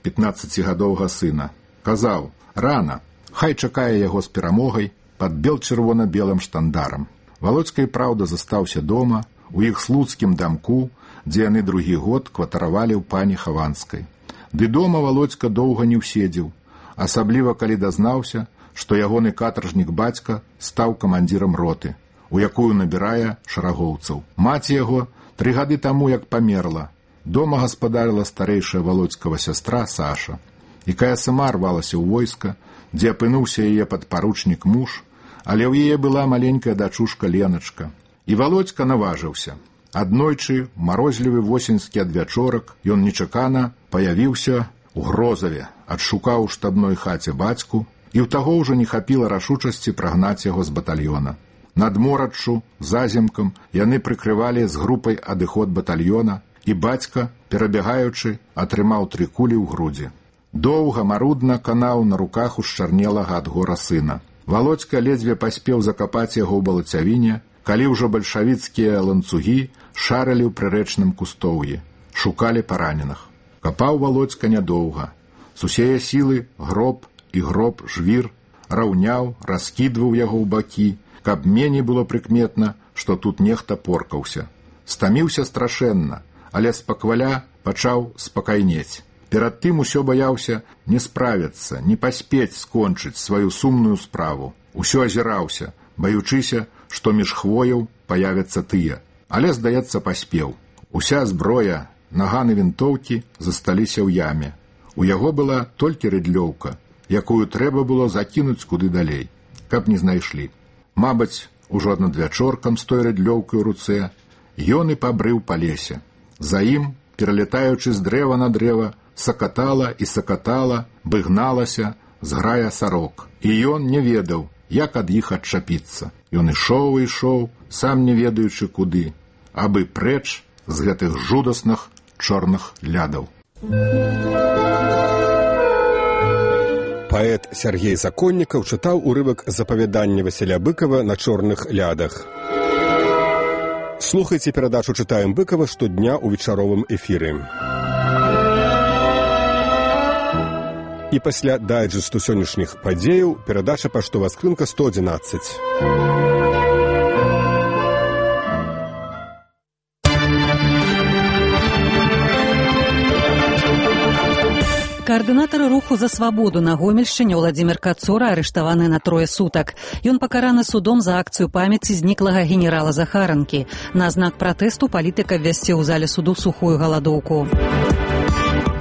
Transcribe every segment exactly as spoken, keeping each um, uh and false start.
пятнаццацігадовага сына. Казаў: рана, хай чакае яго з перамогай пад бел-чырвона-белым штандарам. Валодзька і праўда застаўся дома, у іх слуцкім дамку, дзе яны другі год кватаравалі ў пані Хаванскай. Ды дома Валодзька доўга не ўседзеў, асабліва калі дазнаўся, што ягоны катаржнік бацька стаў камандзірам роты, у якую набірае шарагоўцаў. Маці яго тры гады таму як памерла. Дома гаспадарыла старэйшая Валодзькава сястра Саша, якая сама рвалася ў войска, дзе апынуўся яе падпаручнік муж, але ў яе была маленькая дачушка Леначка. І Валодзька наважыўся. Аднойчы, у марозлівы восеньскі адвячорак, ён нечакана паявіўся у Грозаве, адшукаў у штабной хаце бацьку, і ў таго ўжо не хапіла рашучасці прагнаць яго з батальёна. Над мораччу, заземкам, яны прыкрывалі з групай адыход батальёна, і бацька, перабягаючы, атрымаў тры кулі ў грудзі. Доўга, марудна канаў на руках ушчарнелага ад гора сына. Валодзька ледзьве паспеў закапаць яго ў балацявіне, калі ўжо бальшавіцкія ланцугі шарылі ў прырэчным кустоўі, шукалі параненых. Капаў Валодзька нядоўга. З усее сілы гроб і гроб жвір раўняў, раскідваў яго ў бакі, каб меней было прыкметна, што тут нехта поркаўся. Стаміўся страшэнна, але спакваля пачаў спакайнець. Перад тым усё баяўся не справіцца, не паспець скончыць сваю сумную справу. Усё азіраўся, баючыся, што між хвояў паявяцца тыя. Але, здаецца, паспеў. Уся зброя, наганы вінтоўкі засталіся ў яме. У яго была толькі рыдлёўка, якую трэба было закінуць куды далей, каб не знайшлі. Мабыць, ужо надвячоркам з той рыдлёўкай у руцэ ён і пабрыў па лесе. За ім, пералетаючы з дрэва на дрэва, сакатала і сакатала, быгналася зграя сарок. І ён не ведаў, як ад іх адчапіцца. Ён ішоў і ішоў, сам не ведаючы куды, абы прэч з гэтых жудасных чорных лядаў. Паэт Сергей Законнікаў чытаў урывак з апавядання Васіля Быкава на чорных лядах. Слухайце перадачу «Чытаем Быкава» штодня ў вечаровым эфіры. І пасля дайджэсту сённяшніх падзеяў перадача паштовая скрынка сто адзінаццаць. Координатор руху за свободу на Гомельшчыне Владимир Кацура арыштаваны на трое сутак. Ён пакараны судом за акцыю памяці зніклага генерала Захаранкі. На знак пратэсту палітыка ввесці ў зале суду сухую галадоўку.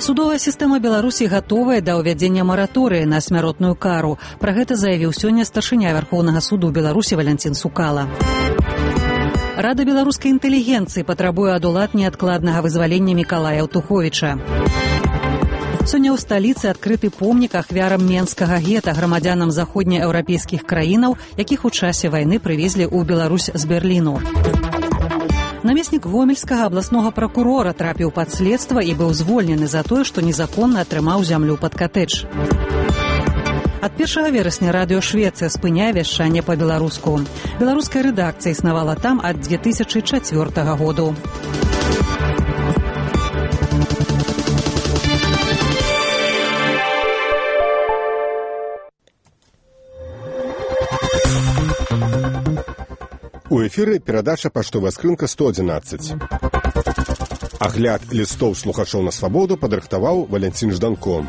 Судовая сістэма Беларусі гатовая да ўвядзення мараторыі на смяротную кару. Пра гэта заявіў сёння старшыня Вярхоўнага суду Беларусі Валянцін Сукала. Рада беларускай інтэлігенцыі патрабуе ад улад неадкладнага вызвалення Мікалая Аўтуховіча. Сёння ў сталіцы адкрыты помнік ахвярам менскага гета грамадзянам заходнееўрапейскіх краінаў, якіх у часе вайны прывезлі ў Беларусь з Берліну. Намеснік гомельскага абласнога пракурора трапіў пад следства і быў звольнены за тое, што незаконна атрымаў зямлю пад катэдж. Ад першага верасня радыё Швецыя спыняе вяшчанне па-беларуску. Беларуская рэдакцыя існавала там ад дзве тысячы чацвёртага году. У эфіры перадача паштовая скрынка сто адзінаццаць. Агляд лістоў слухачоў на свабоду падрыхтаваў Валянцін Жданко.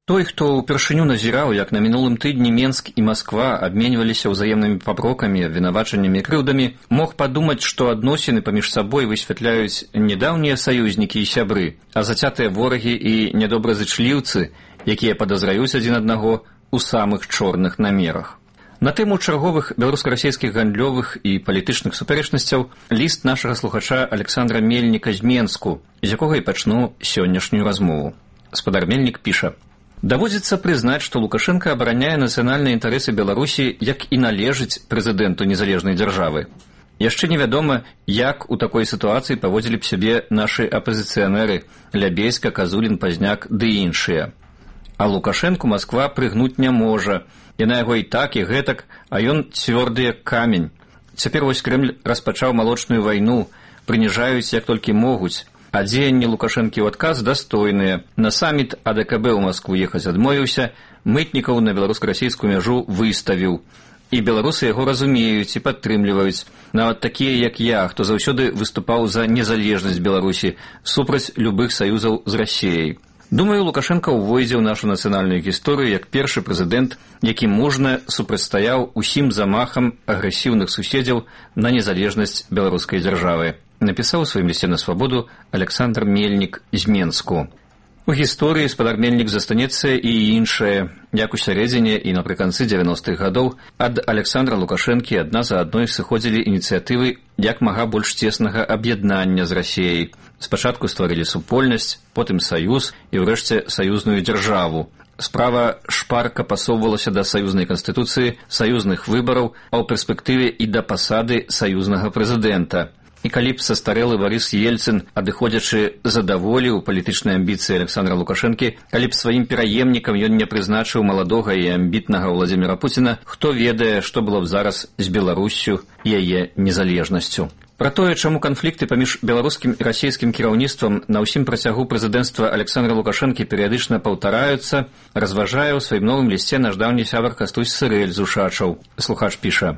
Той, хто ўпершыню назіраў, як на мінулым тыдні Менск і Масква абменьваліся ўзаемнымі папрокамі, абвінавачаннямі і крыўдамі, мог падумаць, што адносіны паміж сабой высвятляюць не даўнія саюзнікі і сябры, а зацятыя ворагі і нядобразычліўцы, якія падазраюць адзін аднаго у самых чорных намерах. На тэму чарговых беларуска-расійскіх гандлёвых і палітычных супярэчнасцяў ліст нашага слухача Александра Мельніка з Менску, з якога і пачну сённяшнюю размову. Спадар Мельнік піша: «Даводзіцца прызнаць, што Лукашенко абараняе нацыянальныя інтарэсы Беларусі, як і належыць прэзідэнту незалежнай дзяржавы. Яшчэ невядома, як у такой сітуацыі паводзілі б сябе нашы апазіцыянеры Лябейска, Казулін, Пазняк ды іншыя. А Лукашэнку Масква прыгнуць не можа. Яна яго і так, і гэтак, а ён цвёрды як камень. Цяпер вось Крэмль распачаў малочную вайну, прыніжаюць як толькі могуць. А дзеянні Лукашэнкі ў адказ дастойныя. На саміт А Дэ Ка Бэ ў Маскву ехаць адмовіўся, мытнікаў на беларуска-расійскую мяжу выставіў. І беларусы яго разумеюць і падтрымліваюць. Нават такія, як я, хто заўсёды выступаў за незалежнасць Беларусі, супраць любых саюзаў з Расіяй. Думаю, Лукашенко увойдзе ў нашу нацыянальную гісторыю як першы прэзідэнт, які мужна супрацьстаяў усім замахам агрэсіўных суседзяў на незалежнасць беларускай дзяржавы. Напісаў у сваім лісце на свабоду Александр Мельнік з Менску. У гісторыі спадар Мельнік застанецца і іншае. Як у сярэдзіне і напрыканцы дзевяностых гадоў ад Александра Лукашэнкі адна за адной сыходзілі ініцыятывы як мага больш цеснага аб'яднання з Расіяй. Спачатку стварылі супольнасць, потым саюз і ўрэшце саюзную дзяржаву. Справа шпарка пасоўвалася да саюзнай канстытуцыі, саюзных выбараў, а ў перспектыве і да пасады саюзнага прэзідэнта. І калі б састарэлы Барыс Ельцын, адыходзячы задаволіў палітычныя амбіцыі Александра Лукашэнкі, калі б сваім пераемнікам ён не прызначыў маладога і амбітнага Владзіміра Пуціна, хто ведае, што было б зараз з Беларуссю і яе незалежнасцю. Пра тое, чаму канфлікты паміж беларускім і расійскім кіраўніцтвам на ўсім працягу прэзідэнцтва Александра Лукашэнкі перыядычна паўтараюцца, разважае ў сваім новым лісце наш даўні сябар Кастусь Сырэль з Ушачаў. Слухач піша: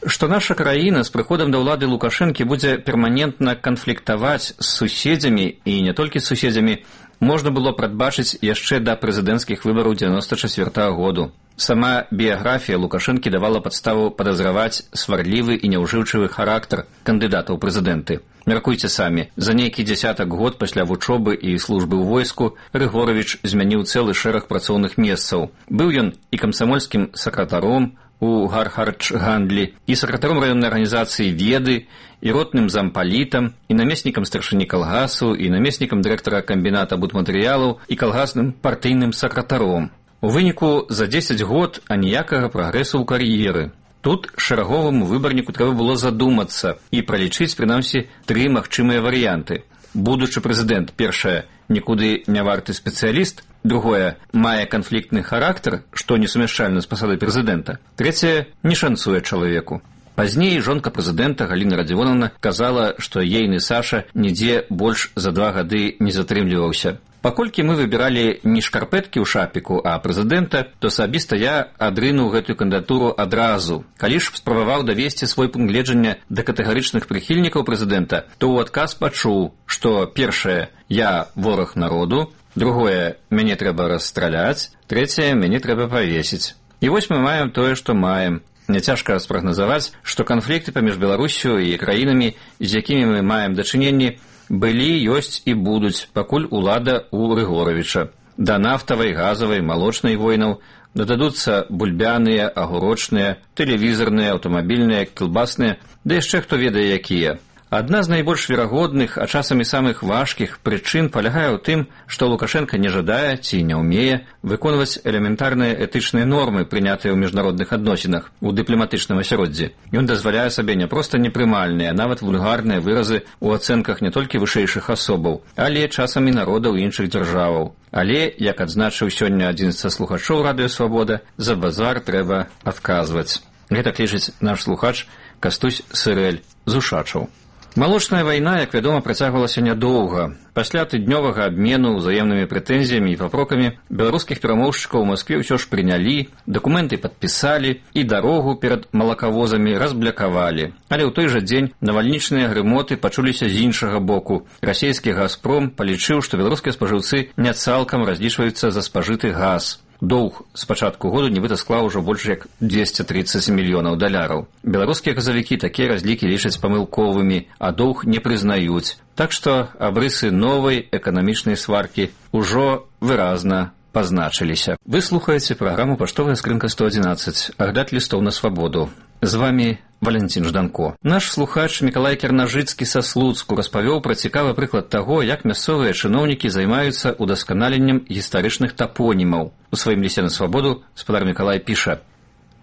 што наша краіна з прыходам да ўлады Лукашэнкі будзе перманентна канфліктаваць з суседзямі, і не толькі з суседзямі, можна было прадбачыць яшчэ да прэзідэнцкіх выбараў дзевяноста чацвёртага году. Сама біяграфія Лукашэнкі давала падставу падазраваць сварлівы і няўжыўчывы характар кандыдата ў прэзідэнты. Мяркуйце самі, за нейкі дзясятак год пасля вучобы і службы ў войску Рыгоравіч змяніў цэлы шэраг працоўных месцаў. Быў ён і камсамольскім сакратаром у Гархардж-гандлі, і сакратаром раённай арганізацыі «Веды», і ротным зампалітам, і намеснікам старшыні калгасу, і намеснікам дырэктара камбіната будматэрыялаў, і калгасным партыйным сакратаром. У выніку за дзесяць год аніякага прагрэсу ў кар'еры. Тут шэраговаму выбарніку трэба было задумацца і пралічыць, прынамсі, тры магчымыя варыянты. Будучы прэзідэнт, першае, нікуды не варты спецыяліст, другое, мае канфліктны характар, што несумяшчальна з пасадай прэзідэнта, трэцяе, не шанцуе чалавеку. Пазней жонка прэзідэнта Галіна Радзівоновна казала, што ейны Саша нідзе больш за два гады не затрымліваўся. Паколькі мы выбіралі не шкарпэткі ў шапіку, а прэзідэнта, то асабіста я адрынуў гэтую кандыдатуру адразу. Калі ж спрабаваў давесці свой пункт гледжання да катэгарычных прыхільнікаў прэзідэнта, то ў адказ пачуў, што першае, я вораг народу, другое, мяне трэба расстраляць, трэцяе, мяне трэба павесіць. І вось мы маем тое, што маем. Няцяжка спрагназаваць, што канфлікты паміж Беларуссю і краінамі, з якімі мы маем дачыненні, былі, ёсць і будуць, пакуль улада ў Рыгоравіча. Да нафтавай, газавай, малочнай войнаў дададуцца бульбяныя, агурочныя, тэлевізарныя, аўтамабільныя, кілбасныя, да яшчэ хто ведае якія. Адна з найбольш верагодных, а часамі самых важкіх прычын палягае ў тым, што Лукашенко не жадае ці не ўмее выконваць элементарныя этычныя нормы, прынятыя ў міжнародных адносінах, у дыпламатычным асяроддзі. Ён дазваляе сабе не проста непрымальныя, а нават вульгарныя выразы ў ацэнках не толькі вышэйшых асобаў, але часамі народаў іншых дзяржаваў. Але, як адзначыў сёння адзін са слухачоў радыё «Свабода», за базар трэба адказваць. Гэтак лічыць наш слухач Кастусь Сырэль з Ушачаў. Малочная вайна, як вядома, працягвалася нядоўга. Пасля тыднёвага абмену ўзаемнымі прэтэнзіямі і папрокамі беларускіх перамоўшчыкаў у Маскве ўсё ж прынялі, дакументы падпісалі і дарогу перад малакавозамі разблякавалі. Але ў той жа дзень навальнічныя грымоты пачуліся з іншага боку. Расійскі «Газпром» палічыў, што беларускія спажыўцы не цалкам разлічваюцца за спажыты газ. Доўг з пачатку году нібыта склаў ужо больш як дзвесце трыццаць мільёнаў даляраў. Беларускія газавікі такія разлікі лічаць памылковымі, а доўг не прызнаюць. Так што абрысы новай эканамічнай сваркі ўжо выразна пазначыліся. Вы слухаеце праграму «Паштовая скрынка сто адзінаццаць», агляд лістоў на свабоду. З вамі Валентин Жданко. Наш слухач Мікалай Кернажыцкі са Слуцку распавёў пра цікавы прыклад таго, як мясцовыя чыноўнікі займаюцца удасканаленнем гістарычных тапонімаў. У сваім лісце на свабоду спадар Мікалай піша: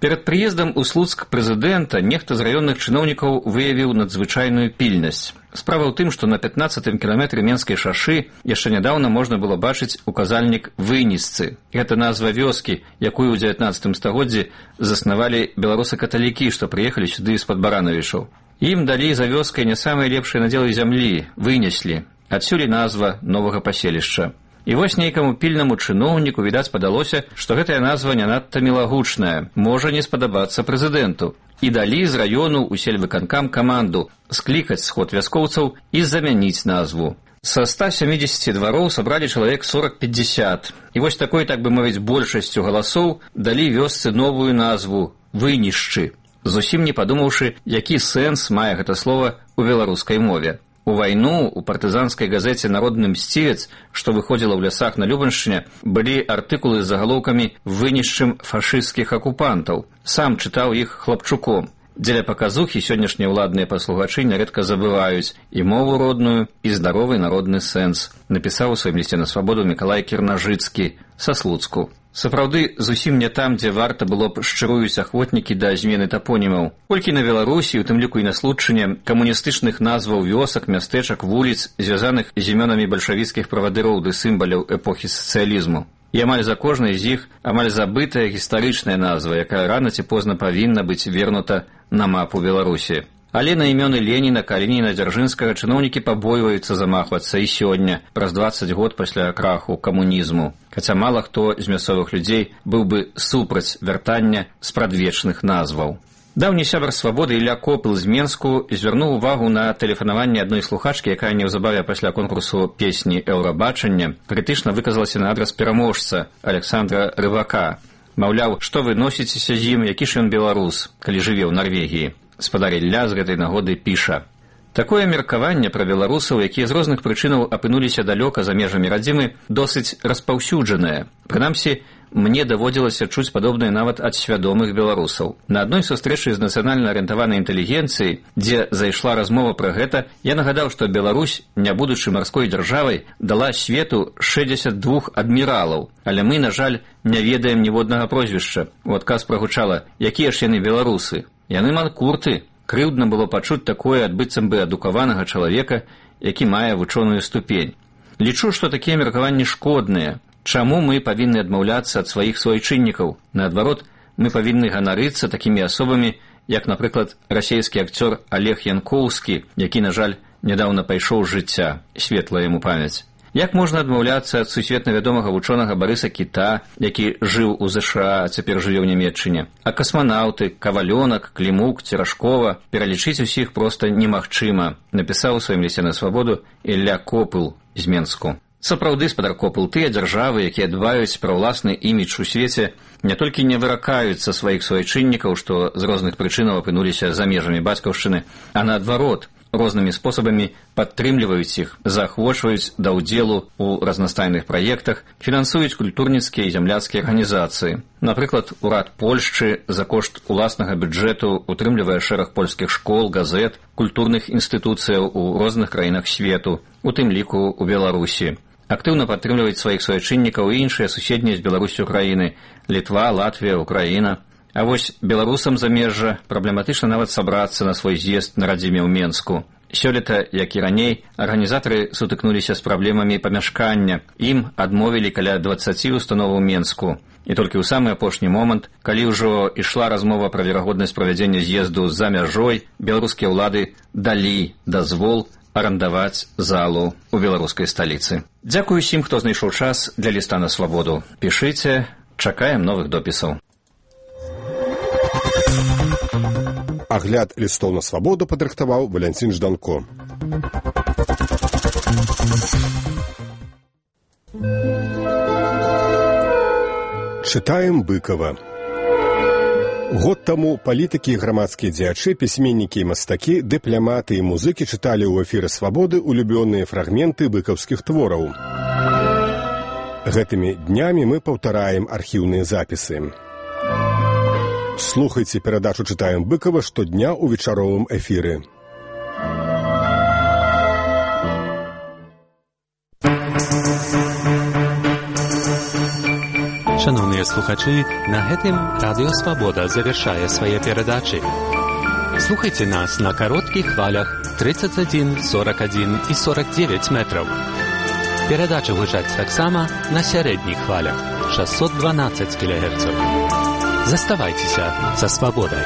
перад прыездам у Слуцк прэзідэнта нехта з раённых чыноўнікаў выявіў надзвычайную пільнасць. Справа ў тым, што на пятнаццатым кіламетры Менскай шашы яшчэ нядаўна можна было бачыць указальнік Вынісцы. Гэта назва вёскі, якую ў дзевятнаццатым стагоддзі заснавалі беларусы-каталікі, што прыехалі сюды з-пад Баранавічаў. Ім далі за вёскай не самыя лепшыя надзелы зямлі, вынеслі. Адсюль і назва новага паселішча. І вось нейкаму пільнаму чыноўніку, відаць, падалося, што гэтая назва не надта мілагучная, можа не спадабацца прэзідэнту. І далі з раёну ў сельвыканкам каманду склікаць сход вяскоўцаў і замяніць назву. Са ста сямідзесяці двароў сабралі чалавек сорок-пятьдесят. І вось такой, так бы мовіць, большасцю галасоў далі вёсцы новую назву «Вынішчы», зусім не падумаўшы, які сэнс мае гэта слова ў беларускай мове. У вайну у партызанскай газеце «Народны мсцівец», што выходзіла ў лясах на Любаншчыне, былі артыкулы з загалоўкамі «Вынішчым фашысцкіх акупантаў». Сам чытаў іх хлапчуком. Дзеля паказухі сённяшнія ўладныя паслугачы нярэдка забываюць і мову родную, і здаровы народны сэнс, напісаў у сваім лісце на свабоду Мікалай Кірнажыцкі са Слуцку. Сапраўды, зусім не там, дзе варта было б шчыруюць ахвотнікі да змены тапонімаў. Колькі на Беларусі, у тым ліку і на Случчыне, камуністычных назваў вёсак, мястэчак, вуліц, звязаных з імёнамі бальшавіцкіх правадыроў ды сімваляў эпохі сацыялізму. І амаль за кожнай з іх амаль забытая гістарычная назва, якая рана ці позна павінна быць вернута на мапу Беларусі. Але на імёны Леніна, Калініна, Дзяржынскага чыноўнікі пабойваюцца замахвацца і сёння, праз дваццаць год пасля краху камунізму. Хаця мала хто з мясцовых людзей быў бы супраць вяртання спрадвечных назваў. Даўні сябар свабоды Ілля Копыл з Менску звярнуў увагу на тэлефанаванне адной слухачкі, якая неўзабаве пасля конкурсу песні «Еўрабачання» крытычна выказалася на адрас пераможца Александра Рыбака. Маўляў, што вы носіцеся з ім, які ж ён беларус, калі жыве ў Нарвегіі. Спадар Ілля з гэтай нагоды піша: «Такое меркаванне пра беларусаў, якія з розных прычынаў апынуліся далёка за межамі радзімы, досыць распаўсюджанае. Прынамсі, мне даводзілася чуць падобнае нават ад свядомых беларусаў. На адной сустрэчы з нацыянальна арыентаванай інтэлігенцыяй, дзе зайшла размова пра гэта, я нагадаў, што Беларусь, не будучы марской дзяржавай, дала свету шэсцьдзесят два адміралаў, але мы, на жаль, не ведаем ніводнага прозвішча». У адказ прагучала: «Якія ж яны беларусы? Яны манкурты». Крыўдна было пачуць такое ад быццам бы адукаванага чалавека, які мае вучоную ступень. Лічу, што такія меркаванні шкодныя. Чаму мы павінны адмаўляцца ад сваіх суайчыннікаў? Наадварот, мы павінны ганарыцца такімі асобамі, як, напрыклад, расейскі акцёр Олег Янкоўскі, які, на жаль, нядаўна пайшоў з жыцця, светлая яму памяць. Як можна адмаўляцца ад сусветна вядомага вучонага Барыса Кіта, які жыў у ЗША, а цяпер жыве ў Нямецчыне? А касманаўты, Кавалёнак, Клімук, Церашкова, пералічыць усіх проста немагчыма, напісаў у сваім лісце на свабоду Ілля Копыл з Менску. Сапраўды, спадар Копыл, тыя дзяржавы, якія дбаюць пра ўласны імідж у свеце, не толькі не выракаюцца сваіх суайчыннікаў, што з розных прычынаў апынуліся за межамі бацькаўшчыны, а наадварот, рознымі спосабамі падтрымліваюць іх, заахвочваюць да ўдзелу ў разнастайных праектах, фінансуюць культурніцкія і зямляцкія арганізацыі. Напрыклад, урад Польшчы за кошт уласнага бюджэту утрымлівае шэраг польскіх школ, газет, культурных інстытуцыяў у розных краінах свету, у тым ліку ў Беларусі. Актыўна падтрымліваюць сваіх суайчыннікаў і іншыя суседнія з Беларусю краіны – Літва, Латвія, Украіна. А вось беларусам замежжа праблематычна нават сабрацца на свой з'езд на радзіме ў Менску. Сёлета, як і раней, арганізатары сутыкнуліся з праблемамі памяшкання. Ім адмовілі каля дваццаці установаў Менску. І толькі ў самы апошні момант, калі ўжо ішла размова пра верагоднасць правядзення з'езду за мяжой, беларускія ўлады далі дазвол арандаваць залу ў беларускай сталіцы. Дзякую усім, хто знайшоў час для ліста на свабоду. Пішыце, чакаем новых допісаў. Агляд лістоў на свабоду падрыхтаваў Валянцін Жданко. Чытаем Быкова. Год таму палітыкі і грамадскія дзеячы, пісьменнікі і мастакі, дыпляматы і музыкі чыталі ў эфіры свабоды улюбёныя фрагменты быкаўскіх твораў. Гэтымі днямі мы паўтараем архіўныя запісы. Слухайце перадачу «Чытаем Быкова» штодня ў вечаровым эфіры. Шановныя слухачы, на гэтым Радыё Свабода завяршае свае перадачы. Слухайце нас на кароткіх хвалях тридцать один, сорок один і сорок девять метраў. Перадачы гучаць таксама на сярэдніх хвалях шестьсот двенадцать кілогерцаў. Заставайцеся са свабодай.